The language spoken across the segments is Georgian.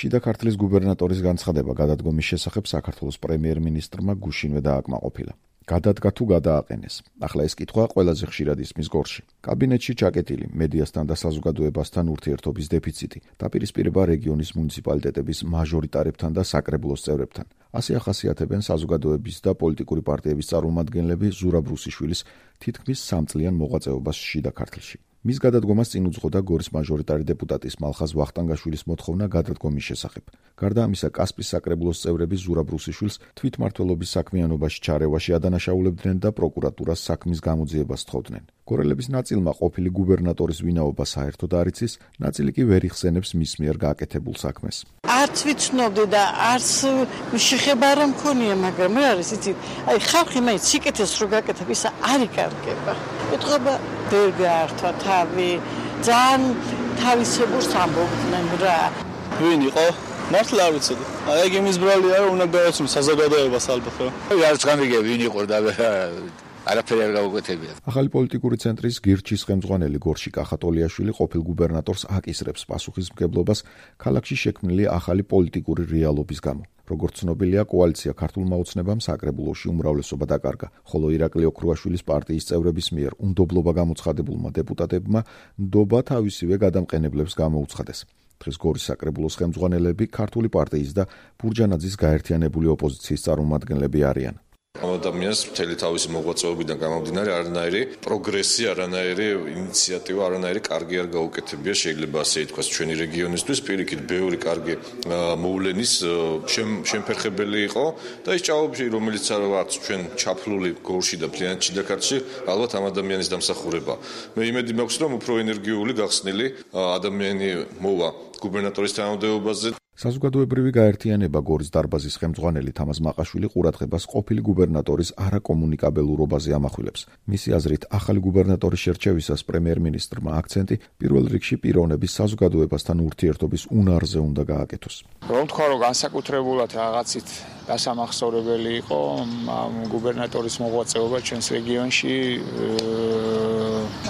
შიდა ქართლის გუბერნატორის განცხადება გადადგომის შესახებ საქართველოს პრემიერ-მინისტრმა გუშინვე დააკმაყოფილა. გადადგა თუ გადააყენეს. ახლა ეს კითხვა ყველაზე ხშირად ისმის გორში. კაბინეტში ჩაკეტილი მედიასთან და საზოგადოებასთან ურთიერთობის დეფიციტი დაპირისპირება რეგიონის მუნიციპალიტეტების მაჟორიტარებთან და საკრებულოს წევრებთან. ასე ახასიათებენ საზოგადოების და პოლიტიკური პარტიების წარმომადგენლები ზურაბ რუსიშვილის თითქმის 3 წლიან მოღვაწეობას შიდა ქართლში. მის გადადგომას წინ უძღოდა გორის მაჟორიტარი დეპუტატის მალხაზ ვახტანგაშვილის მოთხოვნა გადადგომის შესახებ. გარდა ამისა, კასპის საკრებულოს წევრები ზურაბ რუსიშვილს თვითმმართველობის საქმიანობაში ჩარევაში ადანაშაულებდნენ და პროკურატურას საქმის გამოძიებას სთხოვდნენ. გორელების ნაწილმა ყოფილი გუბერნატორის ვინაობა საერთოდ არ იცის, ნაწილი კი ვერ იხსენებს მის მიერ გაკეთებულ საქმეს. არც ვიცნობდი და არც შეხება არ მქონია, მაგრამ რა არის იცით, აი ხალხი მაინც სიკეთეს რო გაკეთებ, ისა არ იკარგება. ეთქობა ვერ გაართვა თავი, ძალიან თავისებურს ამბობდნენ რა. ვინ იყო? მართლა არ ვიცოდი. აი იმის ბრალია რომ უნდა გააცნო საზოგადოებას ალბათ რა. არც გამიგე ვინ იყო და არაფერი არ გავუკეთებია. ახალი პოლიტიკური ცენტრის გირჩის ხელმძღვანელი გორში კახატოლიაშვილი ყოფილ გუბერნატორს აკისრებს პასუხისმგებლობას ქალაქში შექმნილი ახალი პოლიტიკური რეალობის გამო. როგორც ცნობილია, კოალიცია ქართულმა ოცნებამ საკრებულოში უმრავლესობა დაკარგა, ხოლო ირაკლი ოქრუაშვილის პარტიის წევრების მიერ უნდობლობა გამოცხადებულმა დეპუტატებმა ნდობა თავისივე გადამყენებლებს გამოუცხადეს. დღეს გორის საკრებულოს ხელმძღვანელები ქართული პარტიის და ბურჯანაძის გაერთიანებული ოპოზიციის წარმომადგენლები არიან. ადამიანს მთელი თავისი მოღვაწეობიდან გამომდინარე არანაირი პროგრესი, არანაირი ინიციატივა, არანაირი კარგი არ გაუკეთებია, შეიძლება ასე ითქვას, ჩვენი რეგიონისთვის პირიქით ბევრი კარგი მოვლენის შემფერხებელი იყო და ის ჭაობი, რომელიც არც ჩვენ ჩაფლული გორში და მთლიანად შიდა ქართლში, ალბათ ამ ადამიანის დამსახურება. მე იმედი მაქვს, რომ უფრო ენერგიული, გახსნილი ადამიანი მოვა გუბერნატორის თანამდებობაზე. საზოგადოებრივი გაერთიანება გორის დარბაზის ხელმძღვანელი თამაზ მაყაშვილი ყურადღებას ყოფილი გუბერნატორის არაკომუნიკაბელურობაზე ამახვილებს. მისი აზრით, ახალი გუბერნატორის შერჩევისას პრემიერ-მინისტრმა აქცენტი პირველ რიგში პიროვნების საზოგადოებასთან ურთიერთობის უნარზე უნდა გააკეთოს. რომ თქვა, რომ განსაკუთრებულად რაღაცით დასამახსოვრებელი იყო გუბერნატორის მოღვაწეობა ჩვენს რეგიონში,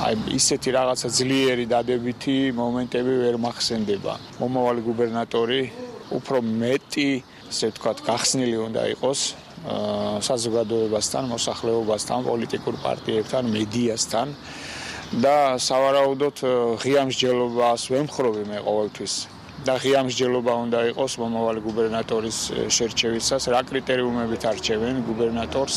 აი ისეთი რაღაცა ძლიერი დადებითი მომენტები ვერ მახსენდება. მომავალი გუბერნატორი უფრო მეტი, ასე ვთქვათ, გახსნილი უნდა იყოს საზოგადოებასთან, მოსახლეობასთან, პოლიტიკურ პარტიებთან, მედიასთან და სავარაუდოდ ღია მსჯელობას ვემხრობი მე ყოველთვის. და ღია მსჯელობა უნდა იყოს მომავალი გუბერნატორის შერჩევისას, რა კრიტერიუმებით არჩევენ გუბერნატორს,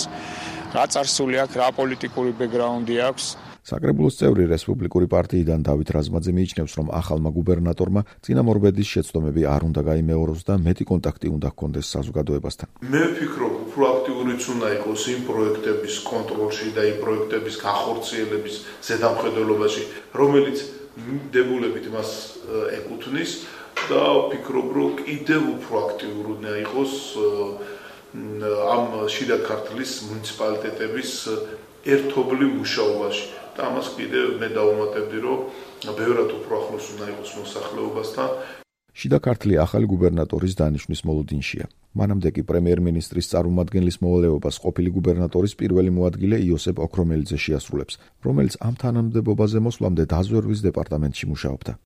რა წარსული აქვს, რა პოლიტიკური ბექგრაუნდი აქვს. საკრებულოს წევრი რესპუბლიკური პარტიიდან დავით რაზმაძე მიიჩნევს, რომ ახალმა გუბერნატორმა წინამორბედის შეცდომები არ უნდა გაიმეოროს და მეტი კონტაქტი უნდა ჰქონდეს საზოგადოებასთან. მე ვფიქრობ, უფრო აქტიურიც უნდა იყოს იმ პროექტების კონტროლში და იმ პროექტების განხორციელების ზედამხედველობაში, რომელიც დებულებით მას ეკუთვნის და ვფიქრობ, რომ კიდევ უფრო აქტიური უნდა იყოს ამ შიდა ქართლის მუნიციპალიტეტების ერთობლივ მუშაობაში. და ამას კიდევ მე დავუმატებდი, რომ ბევრად უფრო ახლოს უნდა იყოს მოსახლეობასთან. შიდა ქართლი ახალი გუბერნატორის დანიშვნის მოლოდინშია. მანამდე კი პრემიერ-მინისტრის წარმომადგენლის მოვალეობას ყოფილი გუბერნატორის პირველი მოადგილე იოსებ ოქრომელიძე შეასრულებს, რომელიც ამ თანამდებობაზე მოსვლამდე დაზვერვის დეპარტამენტში მუშაობდა.